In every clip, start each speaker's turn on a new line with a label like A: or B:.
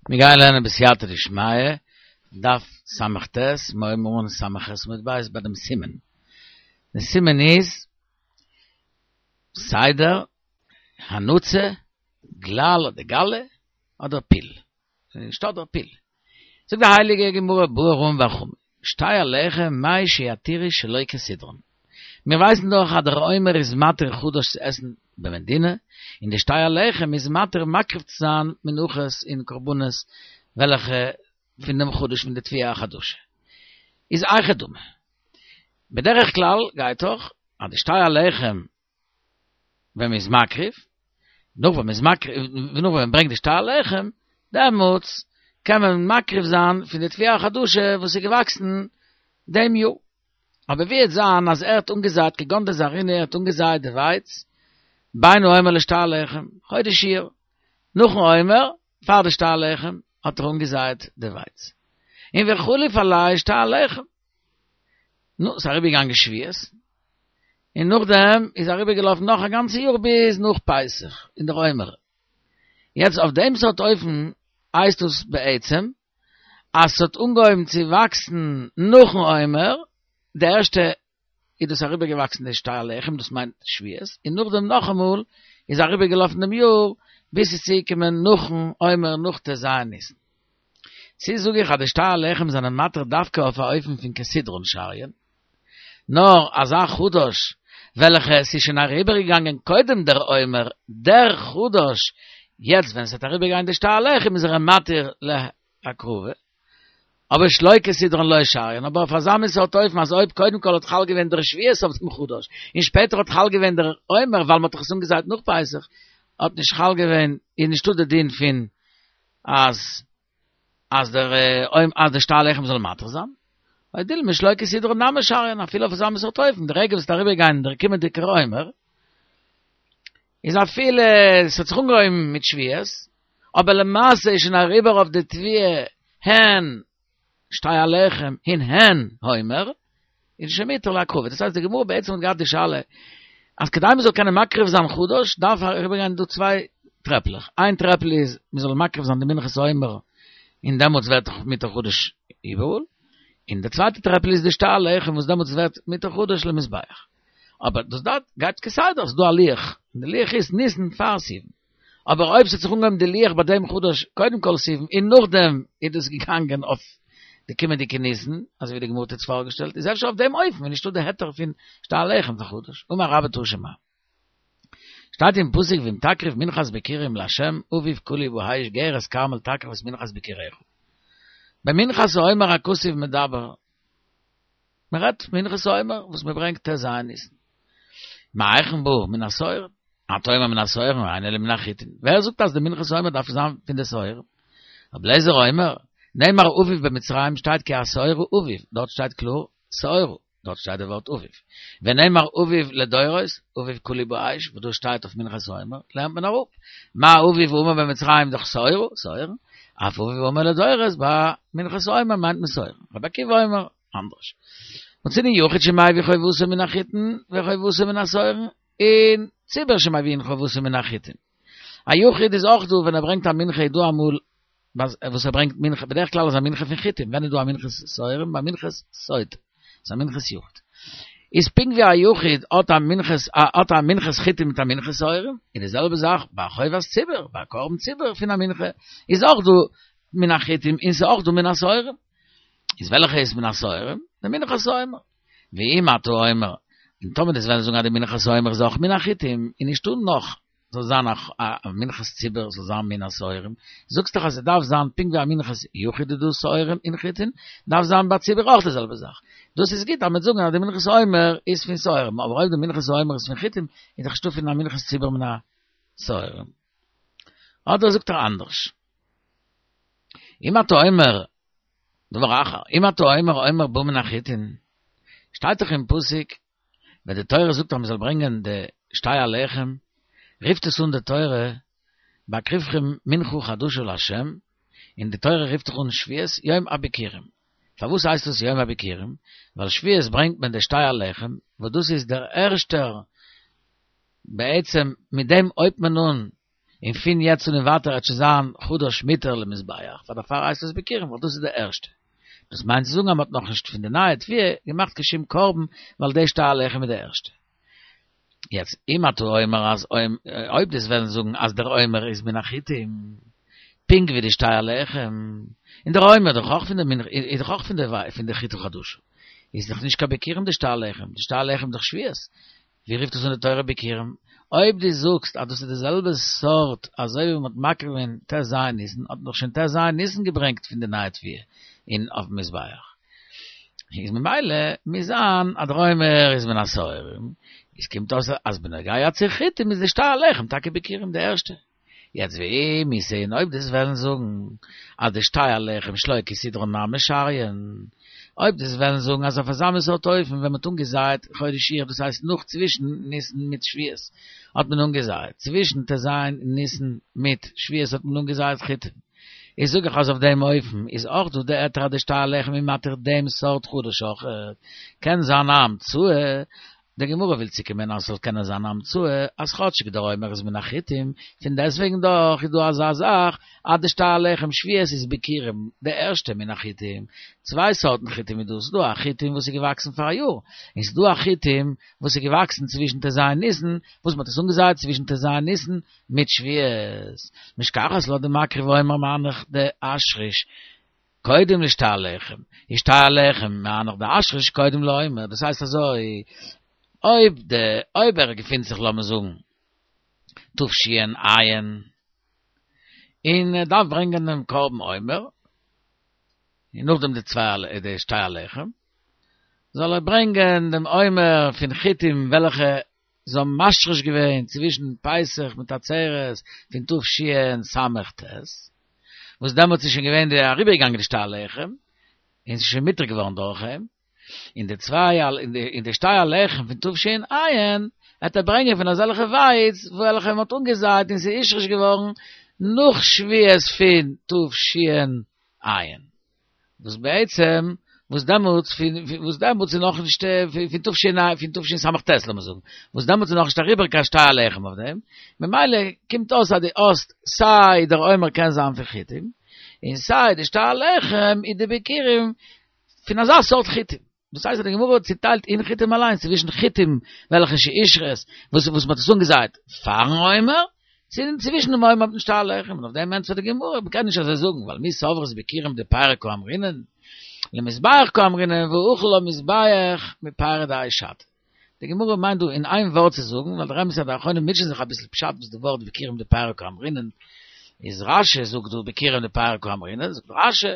A: מיר גייען לערנען בסייעתא דשמיא, דף ס"ט, מיר הייבן אן ס"ח עמוד ב' ביי דעם סימן. דער סימן איז, סדר, הנצה, גלל אדער גלי, אדער פיל. נישט אדער פיל. זאגט די הייליגע גמרא בעי רמי בר חמא, שתי הלחם מהו שיתירו שלא כסדרן. מיר ווייסן דאך אז דער עומר איז מתיר חדש צו עסן במדינה, און די שתי הלחם איז מתיר מקריב צו זיין מנחות און קרבנות וועלכע פון דעם חדש פון די תבואה החדשה. איז היכי דמי. בדרך כלל גייט דאך אז די שתי הלחם ווען מ'איז מקריב, נאך ווען מ'איז מקריב, נאך ווען מ'ברענגט די שתי הלחם, דעמאלטס קען מען מקריב זיין פון די תבואה החדשה וואס איז געוואקסן דעם יאר. אבער ווי וועט זיין אז ער האט אנגעזייט כגון דזרעינהו ער האט אנגעזייט די ווייץ בין העומר לשתי הלחם, חודש אייר, נאכן עומר, פאר די שתי הלחם, האט ער אנגעזייט די ווייץ. און וחליף עליה שתי הלחם. נו, ס'איז אריבערגעגאנגען שבועות, און נאכדעם איז אריבערגעלאפן נאך א גאנצע יאר ביז נאך פסח און דער עומר. יעצט אויף דעם סארט אופן הייסט עס בעצם אז ס'האט אנגעהויבן צו וואקסן נאכן עומר, די ערשטע איז דאס אריבערגעוואקסן די שתי הלחם, דאס מיינט שבועות, און נאכדעם נאכאמאל איז אריבערגעלאפן דעם יאר ביז ס'איז צוגעקומען נאכן עומר נאך ט"ז ניסן. צי זאג איך אז די שתי הלחם זענען מתיר דווקא אויף א אופן פון כסדרן שריין, נאר אזא חדש וועלכע עס איז שוין אריבערגעגאנגען קודם דער עומר, דער חדש, יעצט ווען עס וועט אריבערגיין די שתי הלחם איז ער מתיר להקרבה, אבער שלא כסדרן לא שריין, אבער אויף אזא מין סארט אופן אז אויב קודם כל האט חל געווען דער שבועות אויף דעם חדש, און שפעטער האט חל געווען דער עומר ווייל מען האט דאך עס אנגעזייט נאך פסח, האט נישט חל געווען, איז נישטא די דין פון אז אז דער אז די שתי הלחם זאל מתיר זיין, או דילמא שלא כסדרן נמי שריין, אפילו אויף אזא מין סארט אופן, די רגע וואס ס'וועט אריבערגיין דער קומענדיגער עומר, איז אפילו ס'האט זיך אנגעהויבן מיט שבועות, אבער למעשה איז שוין אריבער אויף די תבואה הן שתי הלחם און הן העומר, איז שוין מותר להקרבה. דאס הייסט די גמרא בעצם האט געהאט די שאלה אז כדי מען זאל קענען מקריב זיין חדש דארף אריבערגיין דא צוויי טרעפלעך, איין טרעפל איז מען זאל מקריב זיין די מנחת העומר און דעמאלטס ווערט דאך מותר חדש איבעראל, און די צווייטע טרעפל איז די שתי הלחם וואס דעמאלטס ווערט מותר חדש למזבח. אבער דאס דארט גייט כסדר, ס'איז דא א לוח, און די לוח איז ניסן פאר סיוון. אבער אויב ס'האט זיך אנגעהויבן די לוח ביי דעם חדש קודם כל סיוון און נאכדעם איז דאס געגאנגען אויף די קומענדיגע ניסן, אזוי ווי די גמרא האט יעצט פארגעשטעלט, איז אפשר אויף דעם אופן איז נישטא די היתר פון שתי הלחם פאר חדש. אמר רבה תא שמע. שטייט אין פסוק ואם תקריב מנחת ביכורים לה' אביב קלוי באש גרש כרמל תקריב את מנחת ביכוריך. במנחת העומר הכתוב מדבר. מען רעדט מנחת העומר וואס מען ברענגט ט"ז ניסן. מהיכן בא מן השעורים? אתה אומר מן השעורים אינו אלא מן החיטים. ווער זאגט אז די מנחת העומר דארף זיין פון די שעורים? רבי אליעזר אומר, נאמר אביב במצרים שטייט כי השעורה אביב, דארט שטייט קלאר שעורה, דארט שטייט די ווארט אביב. ונאמר אביב לדורות, אביב קלוי באש, וואס דא שטייט אויף מנחת העומר, לערנט מען אראפ. מה אביב האמור במצרים דאך שעורה, שעורים, אף אביב האמור לדורות ביי מנחת העומר מיינט מען שעורים. רבי עקיבא אומר, אנדערש. מצינו יחיד שמביא חובתו מן החיטין וחובתו מן השעורין, און ציבור שמביאין חובתו מן החיטין. א יחיד איז אויך דא ווען ער ברענגט א מנחה איז דא אמאל וואס ער ברענגט מנחה, בדרך כלל איז א מנחה פון חיטים, ווען איז דא א מנחת שעורים? ביי מנחת סוטה, ס'איז א מנחת יחיד. איז פונקט ווי א יחיד האט א מנחת האט א מנחת חיטים מיט א מנחת שעורים, איז די זעלבע זאך ביי א חובת ציבור, ביי א קרבן ציבור פון א מנחה איז אויך דא מן החיטים און ס'איז אויך דא מן השעורים. איז וועלכע איז מן השעורים? די מנחת העומר. ואם אתה אומר, און טאמער דו'סט וועלן זאגן אז די מנחת העומר איז אויך מן החיטים, איז נישטא נאך, זאל זיין א מנחת ציבור זאל זיין מן השעורים, זאגסט דאך אז עס דארף זיין פונקט ווי א מנחת יחיד איז דא שעורים און חיטין, דארף זיין ביי ציבור אויך די זעלבע זאך. דאס איז גוט אז מ'וועט זאגן אז די מנחת העומר איז פון שעורים, אבער אויב די מנחת העומר איז פון חיטים, איז דאך נישטא פון א מנחת ציבור מן השעורים. אדער זאגט ער אנדערש. אם אתה אומר, דבר אחר, אם אתה אומר עומר בא מן החיטין, שטייט דאך אין פסוק, ווען די תורה זאגט אז מען זאל ברענגען די שתי הלחם, רופט עס אן די תורה, בהקריבכם מנחה חדשה לה', און די תורה רופט דאך אן שבועות יום הביכורים. פארוואס הייסט עס יום הביכורים? ווייל שבועות ברענגט מען די שתי הלחם, וואס דאס איז דער ערשטער, בעצם מיט דעם הויבט מען אן. און פון יעצט אן און ווייטער וועט שוין זיין חדש מותר למזבח, פאר דערפאר הייסט עס ביכורים ווייל דאס איז די ערשטע. דאס מיינט צו זאגן אז מען האט נאכנישט פון די נייע תבואה געמאכט קיין שום קרבן ווייל די שתי הלחם איז די ערשטע. יעצט אם אתה אומר אז אויב דו'סט וועלן זאגן אז דער עומר איז מן החיטים, פונקט ווי די שתי הלחם, און דער עומר דאך אויך פון די מין איז דאך אויך פון די פון די חיטה חדשה, איז דאך נישט קיין ביכורים די שתי הלחם, די שתי הלחם איז דאך שבועות, ווי רופט עס אן די תורה ביכורים? אויב דו זאגסט אז דאס איז די זעלבע סארט אזוי ווי מען האט מקריב געווען ט"ז ניסן, האט מען דאך שוין ט"ז ניסן געברענגט פון די נייע תבואה אין אויפן מזבח, איז ממילא מוז זיין אז דער עומר איז מן השעורים, איז קומט אויס אז בנוגע צו חיטים איז די שתי הלחם טאקע ביכורים די ערשטע. יעצט ואם איתא און אויב דו'סט וועלן זאגן אז די שתי הלחם שלא כסדרן נמי שריין, אויב דו'סט וועלן זאגן אז אויף אזא מין סארט אופן ווען מ'האט אנגעזייט חודש אייר דאס הייסט נאך צווישן ניסן מיט שבועות האט מען אנגעזייט, צווישן ט"ז ניסן מיט שבועות האט מען אנגעזייט חיטים, איז זאג איך אז אויף דעם אופן איז אויך דא די היתר אז די שתי הלחם איז מתיר דעם סארט חדש אויך, קען זיין א המצאה די גמרא וויל צוקומען אז ס'זאל קענען זיין א המצאה אז כאטשיג דער עומר איז מן החיטים, פון דעסטוועגן דאך איז דא אזא זאך אז די שתי הלחם שבועות איז ביכורים די ערשטע מן החיטים, צוויי סארטן חיטים איז דא, ס'איז דא א חיטים וואס איז געוואקסן פאר א יאר, און ס'איז דא א חיטים וואס איז געוואקסן צווישן ט"ז ניסן, וואס מ'האט עס אנגעזייט צווישן ט"ז ניסן מיט שבועות. משכחת לה דמקריב עומר מהנך דאשריש. קודם לשתי הלחם, איז שתי הלחם מהנך דאשריש קודם לעומר, דאס הייסט אזוי, אויב די אויב ער געפינט זיך לאמיר זאגן תש"ע, און ער דארף ברענגען דעם קרבן עומר, און נאכדעם די צוויי די שתי הלחם, זאל ער ברענגען דעם עומר פון חיטים וועלכע זיי האבן משריש געווען צווישן פסח מיט עצרת פון תשס"ט, וואס דעמאלטס איז שוין געווען די אריבערגעגאנגען די שתי הלחם, און ס'איז שוין מותר געווארן דורך אים, און די צוויי און די שתי הלחם פון תש"ע וועט ער ברענגען פון אזעלכע ווייץ וועלכע מ'האט אנגעזייט און ס'איז הושרש געווארן נאך שבועות פון תש"ע. וואס בעצם וואס דעמאלטס פון וואס דעמאלטס איז נאך נישט פון תש"ע פון תשס"ט לאמיר זאגן וואס דעמאלטס איז נאך נישט אריבער קיין שתי הלחם אויף דעם ממילא קומט אויס אז דו האסט סיי דער עומר קען זיין פון חיטים און סיי די שתי הלחם איז די ביכורים פון אזא סארט חיטים דאס הייסט אז די גמרא האט צוטיילט אין חיטים אליינס צווישן חיטים וועלכע שהושרש וואס וואס מ'האט עס אנגעזייט פארן עומר, צו צווישן דעם עומר מיטן שתי הלחם, און אויף דעם ענטפערט די גמרא, מ'קען נישט אזוי זאגן, ווייל מי סברת ביכורים דפירי קאמרינן, למזבח קאמרינן והאכל למזבח מפירי דהאי שתא. די גמרא מיינט דא אין איין ווארט צו זאגן, ווייל דער אמת איז אז די אחרונים מוטשען זיך אביסל פשט וואס די ווארט ביכורים דפירי קאמרינן איז רש"י זאגט דא ביכורים דפירי קאמרינן, זאגט רש"י,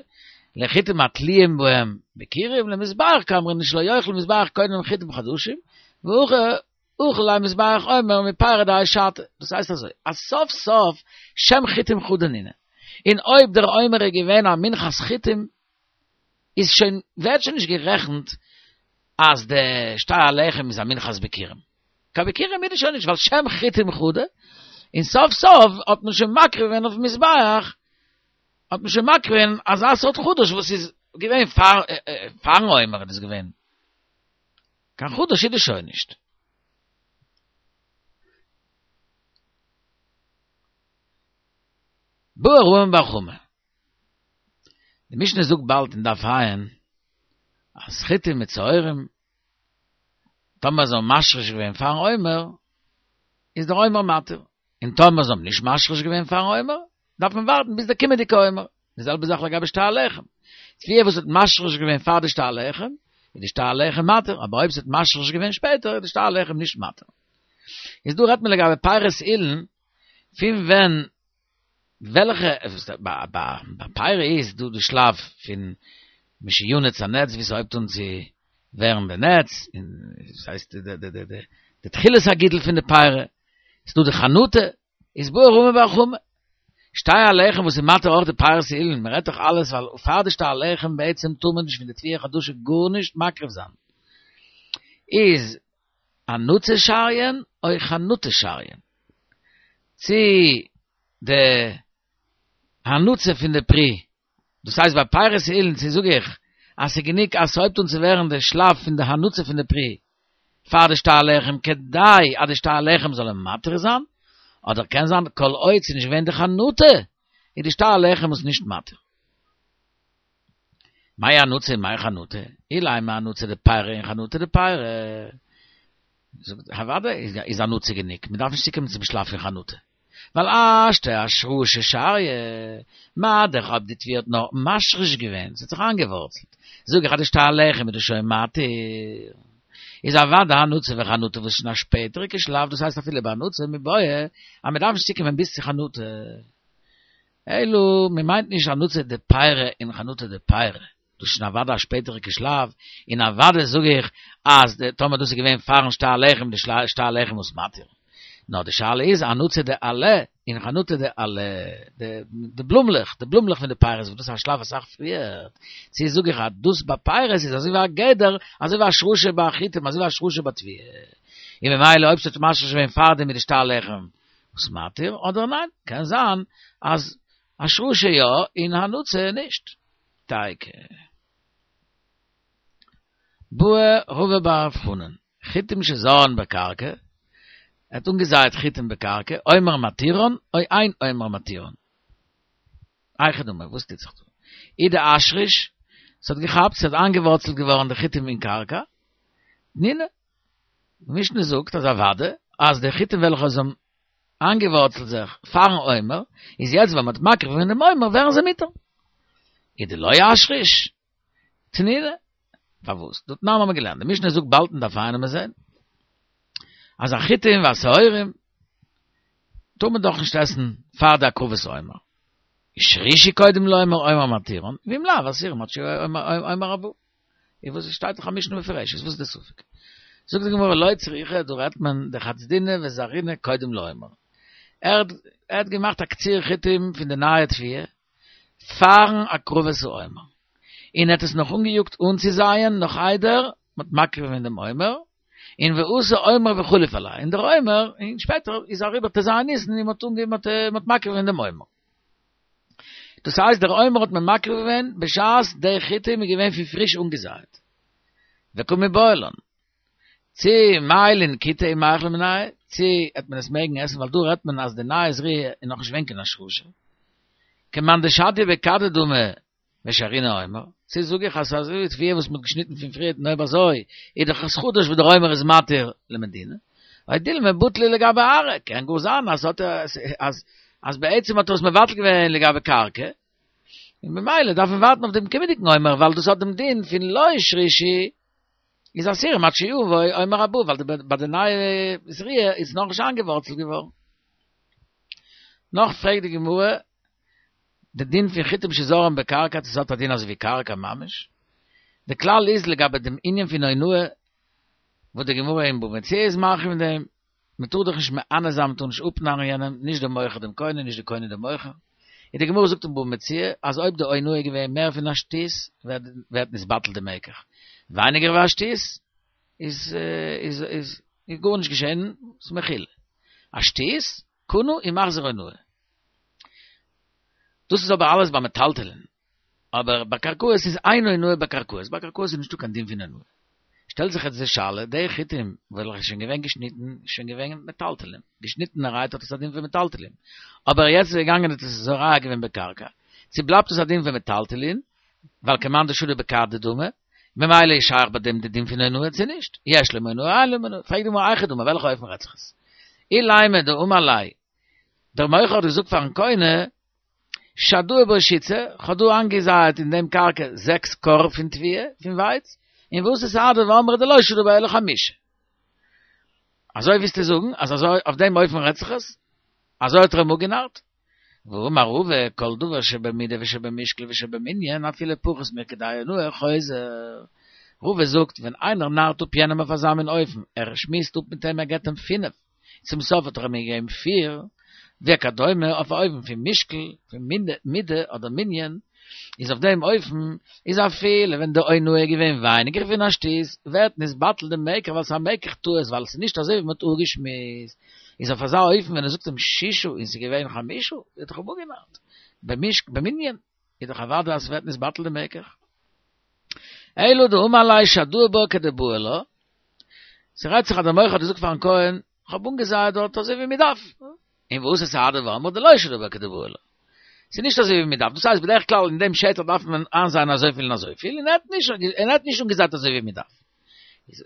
A: לחיטים התלויים בהם ביכורים למזבח קאמרינן שלא יאכל מזבח קודם חיטים חדשים, והאכל ליה מזבח עומר מפירי דהאי שתא, דאס הייסט אזוי, אז סוף סוף שם חיטים חדא נינהו, און אויב דער עומר איז געווען א מנחת חיטים, איז שוין, ווערט שוין נישט גערעכנט אז די שתי הלחם איז א מנחת ביכורים. קיין ביכורים איז עס שוין נישט, ווייל שם חיטים חדא, און סוף סוף האט מען שוין מקריב געווען אויפן מזבח, האט מען שוין מקריב געווען אזא סארט חדש וואס איז געווען פאר פארן עומר איז דאס געווען. קיין חדש איז דאס שוין נישט. בעי רמי בר חמא. די משנה זאגט באלד אין דף ע' אז חיטים מיט שעורים, טאמער זיי האבן משריש געווען פארן עומר, איז דער עומר מתיר, און טאמער זיי האבן נישט משריש געווען פארן עומר, דארף מען ווארטן ביז דער קומענדיגע עומר. די זעלבע זאך לגבי שתי הלחם. תבואה וואס האט משריש געווען פאר די שתי הלחם, איז די שתי הלחם מתיר, אבער אויב ס'האט משריש געווען שפעטער, איז די שתי הלחם נישט מתיר. איז דא רעדט מען לגבי פירות אילן, פון ווען וועלכע ביי פירי איז דא די שלב פון משינץ הנץ ווי ס'הויבט אן צו ווערן די נץ, און ס'הייסט די די די די תחילת הגידול פון די פירי, ס'דא די חנטה, איז בעי רמי בר חמא, שתי הלחם וואס איז מתיר אויך די פירות אילן, מ'רעדט דאך אלעס ווייל פאר די שתי הלחם בעצם טאר מען נישט פון די תבואה חדשה גארנישט מקריב זיין, איז הנצה שריין או חנטה שריין? צי די הנצה פון די פרי, דאס הייסט ביי פירות אילן צו זאג איך אז ס'איז גענוג אז ס'הויבט אן צו ווערן די שלב פון די הנצה פון די פרי פאר די שתי הלחם כדי אז די שתי הלחם זאל אים מתיר זיין, אדער קען זיין כל עוד ס'איז נישט געווען די חנטה, איז די שתי הלחם עס נישט מתיר. מאי הנצה און מאי חנטה? אילימא הנצה דפירא און חנטה דפירא. זאגט אוודאי איז הנצה גענוג, מ'דארף נישט צוקומען צום שלב פון חנטה. ווייל השתא אשרשי שריא, מה דאך אויב די תבואה האט נאר משריש געווען, ס'האט זיך איינגעווארצלט, זאג איך אז די שתי הלחם איז דאס שוין מתיר. איז אוודאי הנצה וחנטה וואס איז שוין א שפעטעריגע שלב, דאס הייסט אפילו ביי הנצה מיבעיא אז מ'דארף נישט צוקומען ביז צו חנטה. אלא מ'מיינט נישט הנצה דפירא און חנטה דפירא, דאס איז שוין אוודאי א שפעטעריגע שלב, און אוודאי זאג איך אז טאמער דאס איז געווען פארן שתי הלחם די שתי הלחם איז מתיר. נאר די שאלה איז הנצה דעלה און חנטה דעלה, די בלומלעך, די בלומלעך פון די פירות וואס דאס איז א שלב אסאך פריער, צו זאג איך אז דאס ביי פירות איז אזוי ווי א גדר, אזוי ווי השרשה ביי חיטים, אזוי ווי השרשה ביי תבואה, און ממילא אויב ס'האט משריש געווען פארדעם איז די שתי הלחם עס מתיר, אדער ניין, קען זיין אז השרשה יא און הנצה נישט. תיקו. בעי רבא בר רב חנן, חיטים שזרען בקרקע, ער האט אנגעזייעט חיטים בקרקע, עומר מתירן או אין עומר מתירן. היכי דמי, וואס טוט זיך דא? אי דאשריש, ס'האט געכאפט, ס'האט איינגעווארצלט געווארן די חיטים אין קרקע, תנינא, די משנה זאגט אז אוודאי אז די חיטים וועלכע זיי האבן איינגעווארצלט זיך פארן עומר, איז יעצט ווען מ'האט מקריב געווען דעם עומר ווערן זיי מותר. אי דלא אשריש, תנינא, פארוואס? דתנן האבן מיר געלערנט, די משנה זאגט באלד אין דף ע' וועלן מיר זען, אז החיטים והשעורים טאר מען דאך נישט עסן פאר די הקרבת עומר. השרישו קודם לעומר עומר מתירן, ואם לאו אסירן עד שיבא עומר הבא. איז וואס עס שטייט דאך א משנה מפורשת, וואס איז די ספק? זאגט די גמרא לא צריכא, דא רעדט מען דחצדינהו וזרעינהו קודם לעומר. ער האט געמאכט א קציר חיטים פון די נייע תבואה פארן הקרבת העומר, און ער האט עס נאך אנגעיאגט אנצוזייען נאך איידער מ'האט מקריב געווען דעם עומר, און ואתא עומר וחליף עלייהו, און דער עומר, און שפעטער איז אריבער ט"ז ניסן און מ'האט מ'האט מקריב געווען דעם עומר. דאס הייסט דער עומר האט מען מקריב געווען בשעת די חיטים איז געווען פון פריש אנגעזייט. וקא מיבעיא לן. צי מעיילין כיתי ומיכלן מינייהו, צי העט מען עס מעגן עסן ווייל דא רעדט מען אז די נייע זריעה איז נאכנישט געווען קיין השרשה. כמאן דשדיא בכדא דמי ושרינהו עומר, צי זאג איך אז ס'איז אזוי ווי תבואה וואס מ'האט געשניטן פון פריערט און אויב אזוי איז דאך עס חדש וואס דער עומר איז מתיר למדינה, או דילמא בטליה לגבי ארעא, קען גאר זיין אז ס'האט אז אז בעצם האט ער עס מבטל געווען לגבי קרקע, און ממילא דארף מען ווארטן אויף דעם קומענדיגן עומר ווייל דאס האט דעם דין פון לא השרישו איז אסורים עד שיבוא עומר הבא ווייל ביי די נייע זריעה איז נאכנישט איינגעווארצלט געווארן. נאך פרעגט די גמרא די דין פון חיטים שזרען בקרקע צו ס'האט א דין אזוי ווי קרקע ממש. די כלל איז לגבי דעם ענין פון אונאה וואס די גמרא אין בבא מציעא איז מרחיב אין דעם, מ'טאר דאך נישט מאנה זיין מ'טאר נישט אפנארן יענעם, נישט די מוכר דעם קונה נישט די קונה דעם מוכר. און די גמרא זאגט אין בבא מציעא אז אויב די אונאה איז געווען מער פון א שתית ווערט נתבטל די מקח, ווייניגער ווי א שתית איז איז איז גארנישט געשען, ס'איז מחילה. א שתית, קנה ומחזיר אונאה. דאס איז אבער אלעס ביי מטלטלין, אבער ביי קרקעות איז אין אונאה בקרקעות, ביי קרקעות איז נישטא קיין דין פון אונאה. שטעלט זיך יעצט די שאלה, די חיטים וועלכע איז שוין געווען געשניטן, איז שוין געווען מטלטלין, געשניטענערהייט האט עס א דין פון מטלטלין, אבער יעצט איז געגאנגען האט עס זורע געווען בקרקע, צו בלייבט עס א דין פון מטלטלין, ווייל כמאן דשדי בכדא דמי, ממילא איז שייך ביי דעם די דין פון אונאה צו נישט, יש לומר אונאה אין לומר אונאה, פרעגט די גמרא היכי דמי וועלכע אופן רעדט זיך עס? אילימא דאמר ליה, דער מוכר האט געזאגט פארן קונה, שדאי בה שיתסר, כ'האב דא איינגעזייעט אין דעם קרקע זעקס כור פון תבואה, פון ווייץ, און ואתו סהדי ואמרי דלא שדי בה אלא חמשה. אזוי ווילסטו זאגן אז אזוי אויף דעם אופן רעדט זיך עס? אזוי האט ער אים אפגענארט? והאמר רבא, כל דבר שבמידה ושבמשקל ושבמנין אפילו פחות מכדי אונאה חוזר. רבא זאגט, ווען איינער נארט אפ יענעם אויף אזא מין אופן, ער שמועסט אפ מיט אים ער געבט אים פינף, צום סוף האט ער אים געגעבן פיר, וכדומה אויף א אופן פון משקל, פון מידה אדער מנין, איז אויף דעם אופן איז אפילו ווען די אונאה איז געווען ווייניגער פון א שתית, ווערט נתבטל די מקח ווייל ס'איז א מקח טעות ווייל ס'איז נישט אזוי ווי מ'האט אפגעשמועסט, איז אויף אזא אופן ווען ער זאגט אים שישה און ס'איז געווען חמשה, האט דאך אים אפגענארט, במנין איז דאך אוודאי אז ס'ווערט נתבטל די מקח. אלא דאמר ליה שדאי בה כדבעי לה, ס'רעדט זיך אז דער מוכר האט געזאגט פארן כהן, כ'האב אנגעזייעט דארט אזוי ווי מ'דארף. און ואתא סהדא ואמרי דלא שדא בה כדבעי לה. ס'איז נישט אזוי ווי מען דארף, דאס הייסט בדרך כלל אין דעם שטח דארף מען איינזייען אזויפיל און אזויפיל, און ער האט נישט, און ער האט נישט אנגעזייט אזוי ווי מען דארף.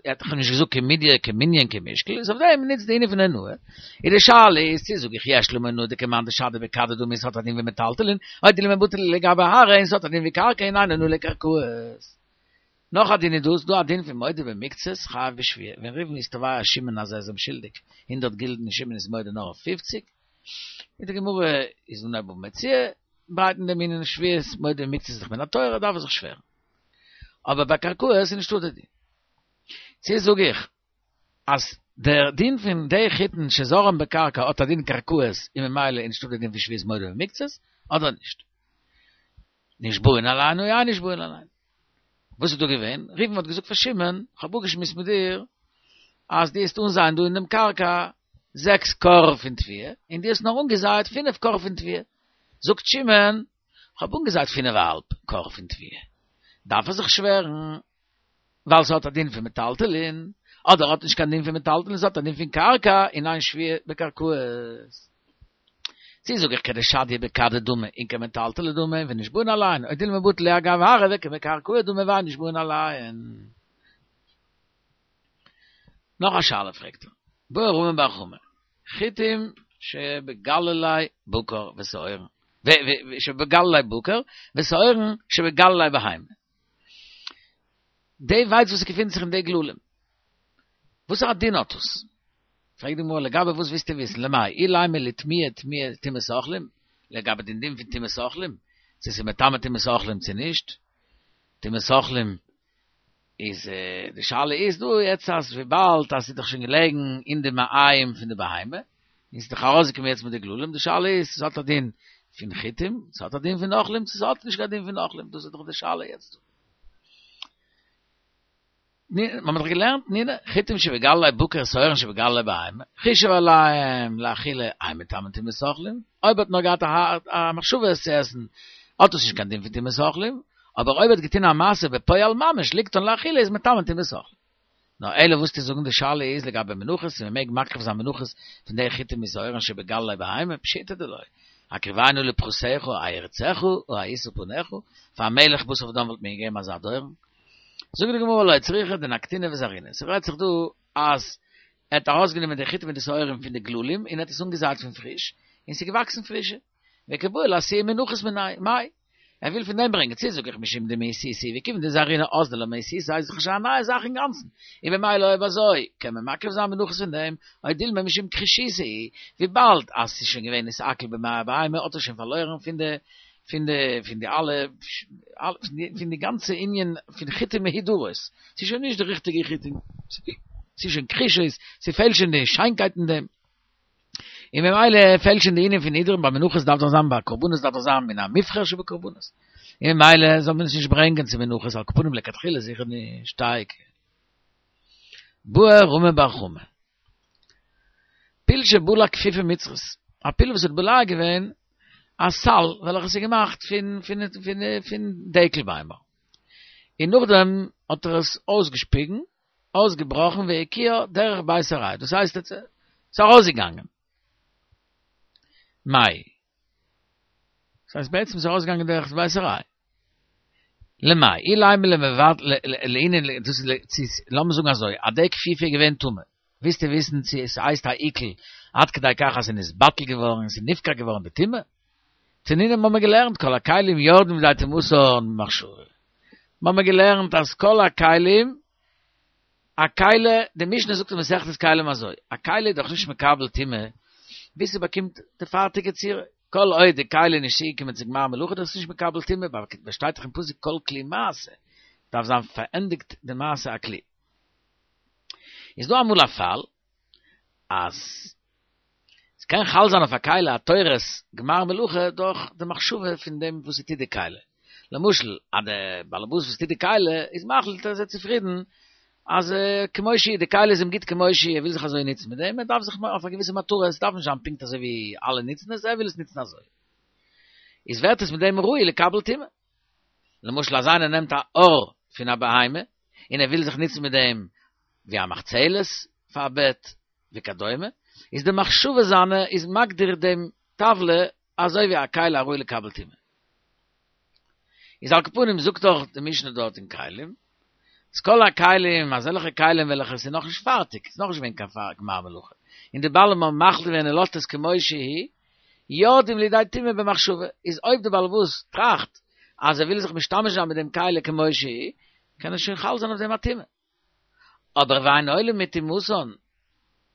A: ער האט דאך נישט געזאגט כמידיא כמנין כמשקל, איז אויף דעם ניצט די ענין פון אונאה. איז די שאלה איז צו זאג איך יש למה אונאה דכמאן דשדי בכדא דמי ס'האט א דין ווי מטלטלין, או דילמא בטל להו לגבי ארעא און ס'האט א דין ווי קרקע און אין אונאה לקרקעות. נאך א דין איז דא, ס'דא א דין פון מודה במקצת חייב בשבועה, ווען ראובן איז תובע שמעון אז ער איז אים שולדיג הונדערט גילדן און שמעון איז מודה נאר אויף פופציג, אין די גמרא איז אין בבא מציעא ברייט אין דעם ענין שבועות מודה במקצת איז דאך מן התורה דארף ער זיך שווערן. אבער ביי קרקעות איז נישטא די דין. צו זאג איך אז דער דין פון די חיטין שזרען בקרקע האט א דין קרקעות און ממילא איז נישטא די דין פון שבועת מודה במקצת אדער נישט? נשבעין עליהן או אין נשבעין עליהן. וואס איז דא געווען? ראובן האט געזאגט פאר שמעון, כ'האב אפגעשמועסט מיט דיר אז דו וועסט אנזייען דא אין דעם קרקע זעקס כור פון תבואה, און דו האסט נאר אנגעזייעט פינף כור פון תבואה. זאגט שמעון, כ'האב אנגעזייט פינף א האלב כור פון תבואה. דארף ער זיך שווערן ווייל ס'האט א דין פון מטלטלין, אדער האט נישט קיין דין פון מטלטלין, ס'האט א דין פון קרקע און אין שבועה בקרקעות. צי זאג איך כדשדיא בכדא דמי און כמטלטלי דמי ונשבעין עליהן, או דילמא בטל להו אגב ארעא וכמקרקעי דמי ואין נשבעין עליהן. נאך א שאלה פרעגט ער, בעי רמי בר חמא, חיטים שבגללי בקר ושעורין, שבגללי בקר ושעורין שבגללי בהמה. די ווייץ וואס געפינט זיך אין די גללים, וואסערע דין האט עס? פרעגט די גמרא לגבי וואס ווילסטו וויסן, למאי אילימא לטמויי טומאת אוכלים, לגבי דעם דין פון טומאת אוכלים, צו ס'איז מטמא טומאת אוכלים צו נישט, טומאת אוכלים איז די שאלה איז דא יעצט אז וויבאלד אז ס'איז דאך שוין געלעגן אין די מעיים פון די בהמה, און ס'איז דאך ארויסגעקומען יעצט מיט די גללים, די שאלה איז צו ס'האט א דין פון חיטים, ס'האט א דין פון אוכלים, צו ס'האט נישט קיין דין פון אוכלים, דאס איז דאך די שאלה יעצט דא. מיר האבן דאך געלערנט תנינא, חיטים שבגללי בקר ושעורין שבגללי בהמה, חישב עליהם לאכילה אין מטמאין טומאת אוכלים, אויב האט נאר געהאט א מחשבה עס צו עסן, האט עס נישט קיין דין פון טומאת אוכלים, אבער אויב האט געטון א מעשה בפועל ממש ליקטן לאכילה איז מטמא טומאת אוכלים. נאר אלא וואס צו זאגן די שאלה איז לגבי מנחות צו מען מעג מקריב זיין מנחות פון די חיטים ושעורין שבגללי בהמה, פשיטא דלא. הקריבנו לפרסיך הירצך הישא פניך, פאר א מלך בשר ודם וואלט מען געגעבן אזא דורן. זאגט די גמרא לא צריכא דנקטינהו וזרעינהו, ס'רעדט זיך דא אז ער האט ארויסגענומען די חיטים מיט די שעורים פון די גללים און ער האט עס אנגעזייט פון פריש, און ס'איז געוואקסן פרישע. וקבעי לאתויי מנחות מינייהו, מאי? ער וויל פון דעם ברענגען, צו זאג איך משום דמאיסותא וכיוון דזרעינהו אזדו למאיסותא איז דאך שוין א נייע זאך אינגאנצן, און במילא אויב אזוי קען מען מקריב זיין מנחות פון דעם, או דילמא משום כחישותא וויבאלד אז ס'איז שוין געווען נתעכל במעי הבהמה האט עס שוין פארלוירן פון די פון די פון די אלע פון די גאנצע ענין פון חיטים מהודרות, ס'איז שוין נישט די ריכטיגע חיטים, ס'איז שוין כחישות, ס'פעלט שוין די שיינקייט אין דעם. און ממילא פעלט שוין די ענין פון הידור ביי מנחות דארף דאך זיין ביי קרבנות דארף דאך זיין מן המובחר שבקרבנות און ממילא זאל מען עס נישט ברענגען צו מנחות על כל פנים לכתחילה זיכער נישט תיקו. בעי רמי בר חמא. פיל שבלע כפיפה מצרית, א פיל וואס האט בולע געווען א סל וועלכעס איז געמאכט פון פון פון פון דקל ביימער, און נאכדעם האט ער עס אויסגעשפיגן אויסגעבראכן והקיאה דרך בית עראי, דאס הייסט עס איז ארויסגעגאנגען. מאי. דאס הייסט בעצם איז ארויסגעגאנגען דרך בית עראי. למאי, אילימא למבט לענין, דאס איז לאמיר זאגן אזוי, אז די כפיפה איז געווען טמא, ווילסטו וויסן צו עס הייסט א עיכול עד כדי כך אז עס איז נתבטל געווארן און עס איז נפקע געווארן די טומאה? תנינא האבן מיר געלערנט כל הכלים יורדים לידי טומאתן במחשבה. מיר האבן געלערנט אז כל הכלים, א כלי, די משנה זאגט אין מסכת כלים אזוי, א כלי איז דאך נישט מקבל טומאה ביז ס'באקומט די פארטיגע צורה, כל עוד די כלי איז נישט צוגעקומען צו גמר מלאכה דאך עס נישט מקבל טומאה, ווייל שטייט דאך אין פסוק כל כלי מעשה, דארף זיין פארענדיגט די מעשה הכלי. איז דא אמאל א פאל אז ס'קען חל זיין אויף א כלי א תורת גמר מלאכה דורך די מחשבה פון דעם וואס ס'טוט די כלי. למשל אז די באלעבאס וואס טוט די כלי איז מחליט אז ער איז צופרידן אז כמו שהיא, די כלי איז אים גוט כמו שהיא, ער וויל זיך אזוי נוצן מיט דעם, ער דארף זיך אויף א געוויסע מטרה, עס דארף נישט זיין פונקט אזוי ווי אלע נוצן עס, ער וויל עס נוצן אזוי. איז ווערט עס מיט דעם ראוי לקבל טומאה. למשל אז איינער נעמט א עור פון א בהמה און ער וויל זיך נוצן מיט דעם ווי א מחצלת פאר א בעט וכדומה. איז די מחשבה זיינע איז מגדיר דעם טבלא אזוי ווי א כלי הראוי לקבל טומאה. איז על כל פנים זאגט דאך די משנה דארט אין כלים, אז כל הכלים, אזעלכע כלים וועלכע ס'איז נאכנישט פארטיג, ס'איז נאכנישט געווען קיין גמר מלאכה, און די בעלים האבן מחליט געווען ער לאזט עס כמו שהיא, יורדים לידי טומאה במחשבה, איז אויב די בעל הבית טראכט אז ער וויל זיך משתמש זיין מיט דעם כלי כמו שהיא, קען עס שוין חל זיין אויף דעם א טומאה. אבער ואין עולים מטומאתן,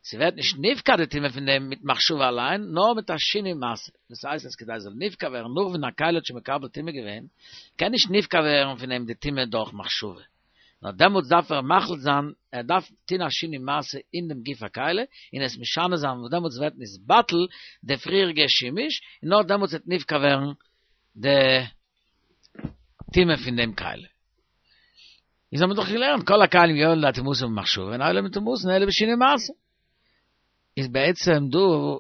A: ס'ווערט נישט נפקע די טומאה פון דעם מיט מחשבה אליין, נאר מיט א שינוי מעשה, דאס הייסט אז כדי עס זאל נפקע ווערן נאך ווען א כלי האט שוין מקבל טומאה געווען, קען נישט נפקע ווערן פון אים די טומאה דורך מחשבה, נאר דעמאלטס דארף ער מחליט זיין, ער דארף טון א שינוי מעשה אין דעם גוף הכלי, און עס משנה זיין, וואס דעמאלטס ווערט נתבטל די פריעריגע שימוש, און נאר דעמאלטס וועט נפקע ווערן די טומאה פון דעם כלי. איז האבן מיר דאך געלערנט כל הכלים יורדין לידי טומאתן במחשבה ואין עולין מטומאתן אלא בשינוי מעשה. איז בעצם דא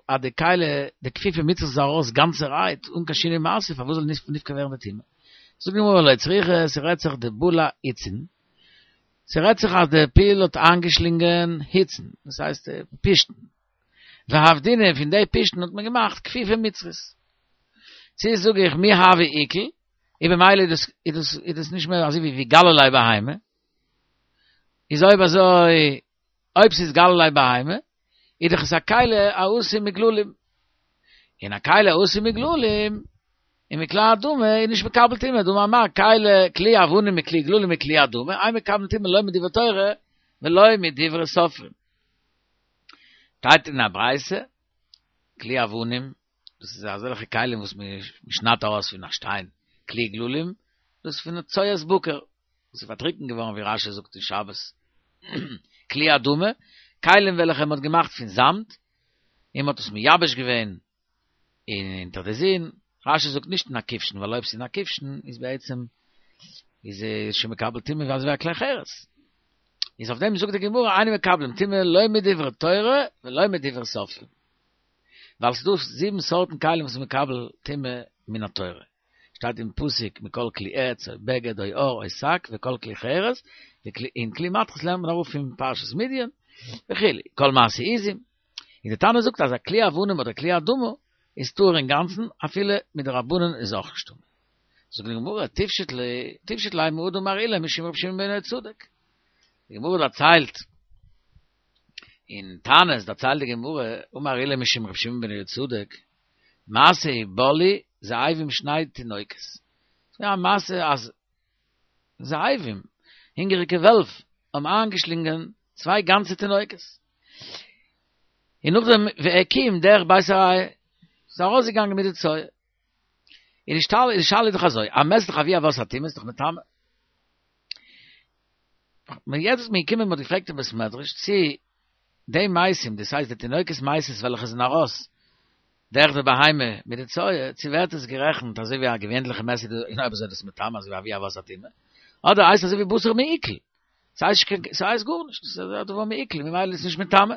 A: אז די כלי די כפיפה מצרית איז ארויס גאנצערהייט אן קיין שינוי מעשה פארוואס זאל נישט נפקע ווערן די טומאה? זאגט די גמרא לא צריכא ס'רעדט זיך דבלע היצין ס'רעדט זיך אז די פיל האט איינגעשלינגען היצן דאס הייסט פשתן ועבדינהו פון די פשתן האט מען געמאכט כפיפה מצרית. צו זאג איך מי הוי עיקול און במילא איז דאס איז דאס איז דאס נישט מער אזוי ווי גלי ליה בהמה, איז אויב אזוי אויב ס'איז גלי ליה בהמה איז דאך עס א כלי העשוי מגללים, און א כלי העשוי מגללים און מכלי אדמה איז נישט מקבל טומאה, דאמר מר כלי כלי אבנים מכלי גללים מכלי אדמה, אין מקבלין טומאה לא מדברי תורה ולא מדברי סופרים. שטייט אין א ברייתא, כלי אבנים דאס איז אזעלכע כלים וואס מען שניידט ארויס פון א שטיין, כלי גללים, דאס איז פון צואת בקר, וואס איז פארטריקנט געווארן ווי רש"י זאגט אין שבת, כלי אדמה, כלים וועלכע מען האט געמאכט פון זאמד, און מען האט עס מייבש געווען אונטער די זון, רש"י זאגט נישט אין א כבשן, ווייל אויב ס'איז אין א כבשן איז בעצם איז עס שוין מקבל טומאה ווי אזוי ווי א כלי חרס. איז אויף דעם זאגט די גמרא אין מקבלים טומאה לא מדברי תורה ולא מדברי סופרים. ווייל ס'דא זיבן סארטן כלים וואס איז מקבל טומאה מן התורה, שטייט אין פסוק מכל כלי עץ או בגד או עור או שק וכל כלי חרס, און כלי מתכות לערנט מען אראפ פון פרשת מדין וכו', כל מעשה עזים, און די תנא זאגט אז א כלי אבנים אדער כלי אדמה איז טהור אינגאנצן אפילו מדרבנן איז אויך נישט טמא. זאגט די גמרא, תפשוט ליה, תפשוט ליה מהא דאמר עולא משום רבי שמעון בן יהוצדק. די גמרא דערציילט אין תענית דערציילט די גמרא, אמר עולא משום רבי שמעון בן יהוצדק, מעשה ובלעו זאבים שני תינוקות. ס'איז געווען א מעשה אז זאבים, הונגעריגע וועלף, האבן איינגעשלינגען צוויי גאנצע תינוקות. און נאכדעם והקיאום דרך בית הראי', ס'איז ארויסגעגאנגען מיט די צואה. און די שאלה איז דאך אזוי, א מת איז דאך אבי אבות הטומאה, איז דאך מטמא. מען יעצט איז מען געקומען מען האט געפרעגט אין בית מדרש צי די מתים דאס הייסט די תינוקות מתות וועלכע זענען ארויס דרך די בהמה מיט די צואה צי ווערט עס גערעכנט אזוי ווי א געווענליכע מת און אויב אזוי איז דאס מטמא אזוי ווי אבי אבות הטומאה אדער הייסט אזוי ווי בשר מעוקל ס'הייסט ס'הייסט גארנישט ס'איז א דבר מעוקל ממילא איז עס נישט מטמא.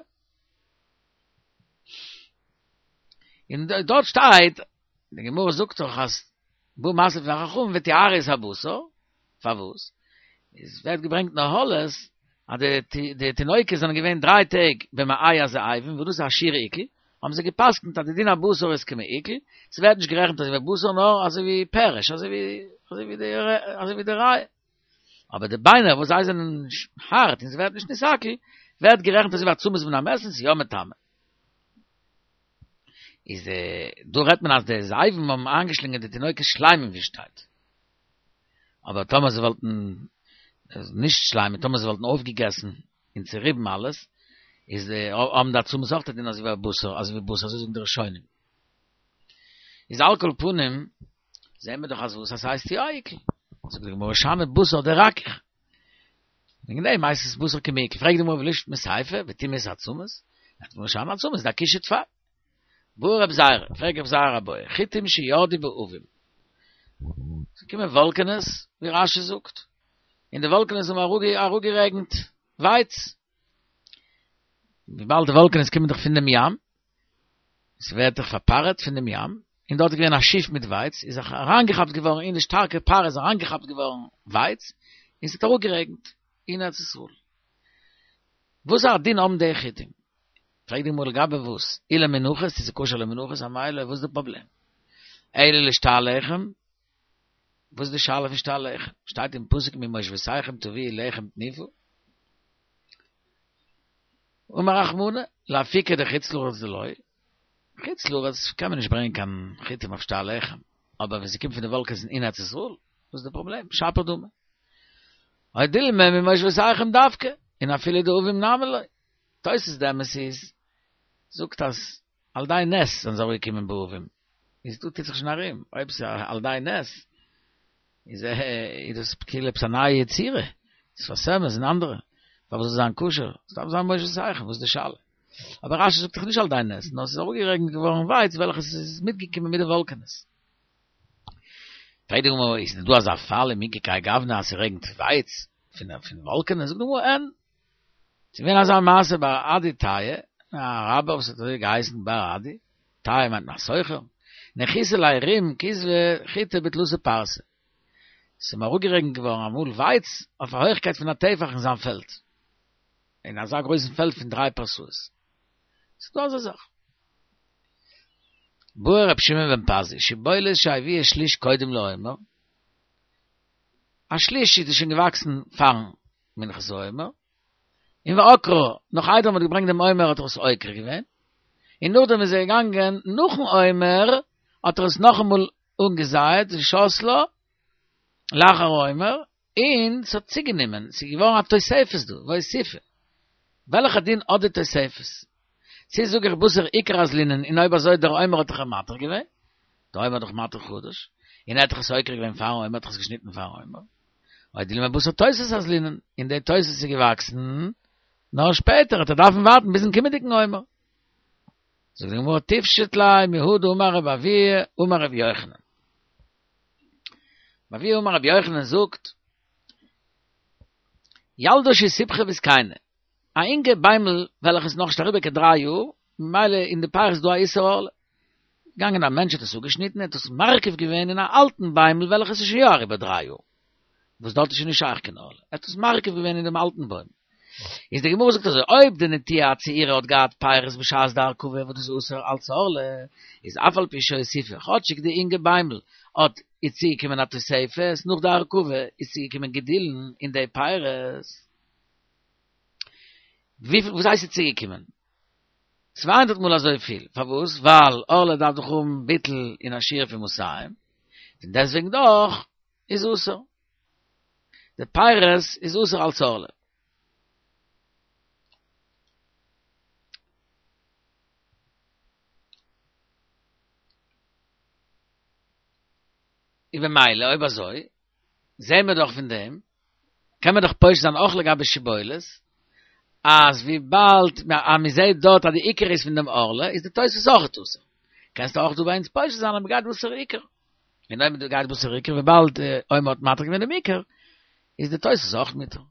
A: און דארט שטייט, די גמרא זאגט דאך אז בא משא לפני חכמים וטיהרו את הבשר, פארוואס? עס ווערט געברענגט אין אהלות אז די די תינוקות זענען געווען דריי טעג במעי הזאבים וואס דאס איז א שיעור עיקול, האבן זיי גע'פסק'נט אז די דין הבשר איז כמעוקל, ס'ווערט נישט גערעכנט אזוי ווי בשר נאר אזוי ווי פרש, אזוי ווי אזוי ווי די אזוי ווי די ריאה. אבער די ביינער וואס זיי זענען הארט און ס'ווערט נישט נתעכל, ווערט גערעכנט אזוי ווי עצמות פון א מת און ס'איז יא מטמא. איז דא רעדט מען אז די זאבים האבן איינגעשלינגען די תינוקות שלימים ווי שטייט. אבער טאמער זיי וואלטן נישט שלימים, טאמער זיי וואלטן אויפגעגעסן און צוריבן אלעס, איז האבן די עצמות אויך א דין אזוי ווי א בשר, אזוי ווי בשר, אזוי זאגן די ראשונים. איז על כל פנים, זעהן מיר דאך אז וואס אז ס'הייסט יא עיקול. זאגט די גמרא שאני בשר דרכיך. וועגן דעם הייסט עס בשר כמעוקל. פרעגט די גמרא ולישמעוט מסיפא וטומאת עצמות. זאגט די גמרא שאני עצמות דאכישי טפי. בעי רבי זירא, פרעגט רבי זירא א בעיא, חיטים שירדו בעבים. ס'קומען וואלקענעס, ווי רש"י זאגט, און די וואלקענעס האבן אראפגערעגנט ווייץ. וויבאלד די וואלקענעס קומען דאך פון דעם ים, ס'ווערט דאך פארפארעט פון דעם ים, און דארט איז געווען א שיף מיט ווייץ, איז זיך אריינגעכאפט געווארן אין די שטארקע פארע איז אריינגעכאפט געווארן ווייץ, און ס'האט אראפגערעגנט אין ארץ ישראל. וואס א דין האבן די חיטים? פרעגט די גמרא לגבי וואס? אי למנחות, צו ס'איז כשר למנחות, אמאי לא, וואס איז די פראבלעם? אלא לשתי הלחם, וואס איז די שאלה פון שתי הלחם? שטייט אין פסוק ממושבותיכם תביאו לחם תנופה. אמר רחמנא, לאפוקי דחוץ לארץ דלא, חוץ לארץ קען מען נישט ברענגען קיין חיטים אויף שתי הלחם, אבער ווען ס'קומט פון די וואלקענס אין ארץ ישראל, וואס איז די פראבלעם? שפיר דמי. או דילמא ממושבותיכם דווקא, און אפילו דעבים נמי לא. תוס' די אמת איז, זאגט אז על ידי נס זענען זיי אראפגעקומען בעבים, איז דא טוט זיך שוין ארום, אויב ס'איז על ידי נס, איז איז דאס כאילו עפעס א נייע יצירה, שפת אמת און אנדערע, פארוואס זאל זיין כשר? עס דארף זיין ממושבותיכם, וואס איז די שאלה? אבער רשי זאגט דאך נישט על ידי נס, נאר עס איז אראפגערעגנט געווארן ווייץ וועלכעס איז מיטגעקומען מיט די וואלקענעס. פרעגט די גמרא, איז דא אזא פאל ומי איכא כהאי גוונא אז ס'רעגנט ווייץ פון וואלקענעס? זאגט די גמרא, אין. ס'איז געווען אזא מעשה בר אדי טייעא, א אראבער וואס האט אזוי געהייסן בר אדי, טייעא מיינט מען א סוחר, ניחותא ליה רום כזבא חיטי בתלתא פרסי. ס'איז אים אראפגערעגנט געווארן אמאל ווייץ אויף א הויכקייט פון א טפח אין זיין פעלד, אין אזא גרויסן פעלד פון דריי פרסאות. ס'איז דא אזא זאך. בעי רבי שמעון בן פזי, שיבולת שהביאה שליש קודם לעומר, א שליש איז שוין געוואקסן פארן מנחת העומר, און ועקרה, נאך איידער מ'האט געברענגט דעם עומר האט ער עס עוקר געווען, און נאכדעם איז ער געגאנגען נאכן עומר האט ער עס נאכאמאל אנגעזייעט ושתלה לאחר העומר, און ס'האט צוגענומען, ס'איז געווארן א תוספת דא, והוסיפה. וועלכע דין האט די תוספת? צו זאג איך בתר עיקר אזלינן און אויב אזוי דער עומר האט דאך אים מתיר געווען, דער עומר האט דאך מתיר חדש, און ער האט דאך עס עוקר געווען פארן עומר האט דאך עס געשניטן פארן עומר. או דילמא בתר תוספת אזלינן, און די תוספת איז געוואקסן נאר שפעטער, האט ער דארפן ווארטן ביזן קומענדיגן עומר. זאגט די גמרא תפשוט ליה מהא דאמר רבי אבהו אמר רבי יוחנן. רבי אבהו אמר רבי יוחנן זאגט, ילדה שסיבכה וזקנה, א אינגע ביימל וועלכע איז נאכנישט אריבער קיין דריי יאר, ממילא אין די פירות איז דא א איסור ערלה. געגאנגען א מענטש האט עס אפגעשניטן ער האט עס מרכיב געווען אין א אלטן ביימל וועלכעס איז שוין יא אריבער דריי יאר, וואס דארט איז שוין נישט שייך קיין ערלה, ער האט עס מרכיב געווען אין דעם אלטן בוים. איז די גמרא זאגט אזוי, אויב די נטיעה הצעירה האט געהאט פירות בשעת די הרכבה וואס דאס איז אסור אלץ ערלה, איז אף על פי שהוסיפה, כאטשיג די אינגע ביימל האט איז צוגעקומען א תוספת נאך די הרכבה איז צוגעקומען גידולין אין די פירות. וויפיל וואס הייסט איז צוגעקומען? 200 מאל אזויפיל, פארוואס? ווייל ערלה דארף דאך האבן ביטול אין א שיעור פון מאתים, פון דעסטוועגן דאך איז אסור. די פירות איז אסור אלס ערלה. און במילא אויב אזוי זעהן מיר דאך פון דעם, קען מען דאך פושט זיין אויך לגבי שיבולת, אז וויבאלד אז מען זעהט דארט אז די עיקר איז פון דעם ערלה, איז די תוספת אויך אסור. קענסטו אויך דא ביי אונז פושט זיין אז מען גייט בתר עיקר. און אויב מען גייט בתר עיקר וויבאלד עומר האט מתיר געווען דעם עיקר, איז די תוספת אויך מותר.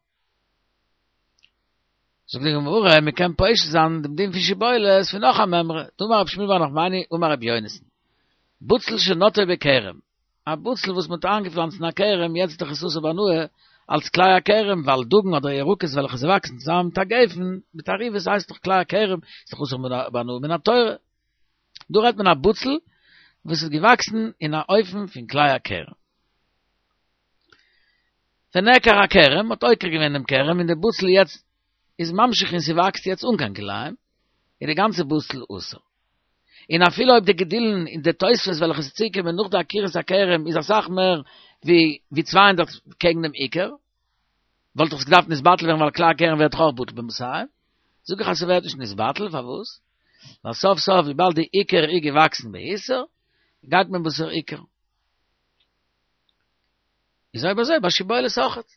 A: זאגט די גמרא, מען קען פושט זיין דעם דין פון שיבולת פון נאך א מימרא, דאמר רב שמואל בר נחמני אמר רבי יונתן, בצל שנטעו בכרם, א בצל וואס מען האט איינגעפלאנצט אין א כרם, יעצט איז דאך עס אסור בהנאה אלס כלאי הכרם, ווייל דגן אדער ירקות וועלכע זיי וואקסן צוזאמען מיט א גפן, מיט תערובות הייסט דאך כלאי הכרם, איז דאך אסור בהנאה מן התורה. דא רעדט מען א בצל וואס איז געוואקסן אין א אופן פון כלאי הכרם. ונעקר הכרם, מ'האט עוקר געווען דעם כרם און די בצל יעצט איז ממשיך און ס'וואקסט יעצט אן קיין כלאים, איז די גאנצע בצל אסור. און אפילו אויב די גידולין און די תוספות וועלכע איז צוגעקומען נאך די עקירת הכרם איז אסאך מער ווי ווי 200 קעגן דעם עיקר, וואלט דאך עס געדארפט נתבטל ווערן ווייל כלאי הכרם ווערט דאך אויך בטל במאתים. זאג איך אז ס'ווערט נישט נתבטל, פארוואס? ווייל סוף סוף וויבאלד די עיקר איז געוואקסן באיסור, גייט מען בתר עיקר. איז אויב אזוי ביי שיבולת אויכעט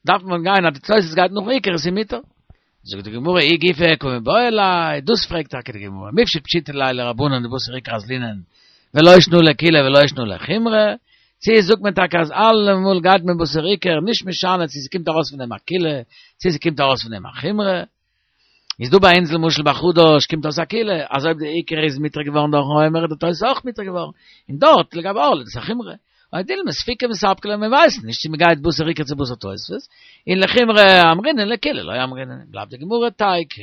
A: דארף מען גיין אז די תוספות גייט נאכן עיקר איז מותר. זאגט די גמרא ההיא גופא קא מיבעיא ליה, דאס פרעגט טאקע די גמרא, מיפשט פשיטא ליה לרבנן דבתר עיקר אזלינן ולא שנא לקולא ולא שנא לחומרא, צו זאגט מען טאקע אז אלעמאל גייט מען בתר עיקר, נישט משנה צו ס'קומט ארויס פון דעם א קולא, צו ס'קומט ארויס פון דעם א חומרא. איז דא ביי אונז למשל ביי חדש קומט אויס א קולא אז אויב די עיקר איז מותר געווארן דורכן עומר איז די תוס' אויך מותר געווארן, און דארט לגבי ערלה איז דאס א חומרא, או דילמא ספיקא מספקא ליה מען ווייסט נישט צו מען גייט בתר עיקר צו בתר תוספות, און לחומרא אמרינן לקולא לא אמרינן, בלייבט די גמרא תיקו.